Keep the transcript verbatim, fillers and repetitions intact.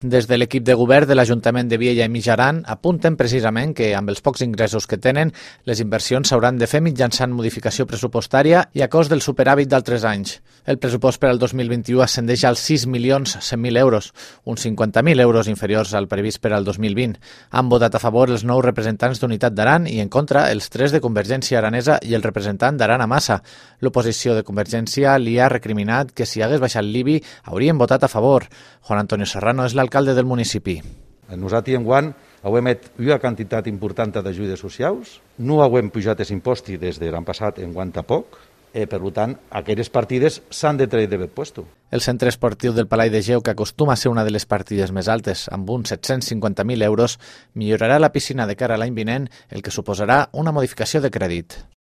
Des de l'equip de govern de l'Ajuntament de Viella i Mitjaran apunten precisament que, amb els pocs ingressos que tenen, les inversions s'hauran de fer mitjançant modificació pressupostària i a cost del superàvit d'altres anys. El pressupost per al dos mil vint-i-u ascendeix als sis milions cent mil euros, uns cinquanta mil euros inferiors al previst per al dos mil vint. Han votat a favor els nou representants d'Unitat d'Aran i en contra els tres de Convergència Aranesa i el representant d'Aran a Massa. L'oposició de Convergència li ha recriminat que si hagués baixat l'I B I haurien votat a favor. Juan Antonio Serrano és l'alcalde del municipi. Nosaltres enguany hem fet una quantitat important d'ajudes socials, no hem pujat els impostos des de l'any passat enguany tampoc, eh, per tant, aquestes partides s'han de treure de puesto. El centre esportiu del Palau de Geu, que acostuma a ser una de les partides més altes, amb uns set-cents cinquanta mil euros, millorarà la piscina de cara a l'any vinent, el que suposarà una modificació de crèdit.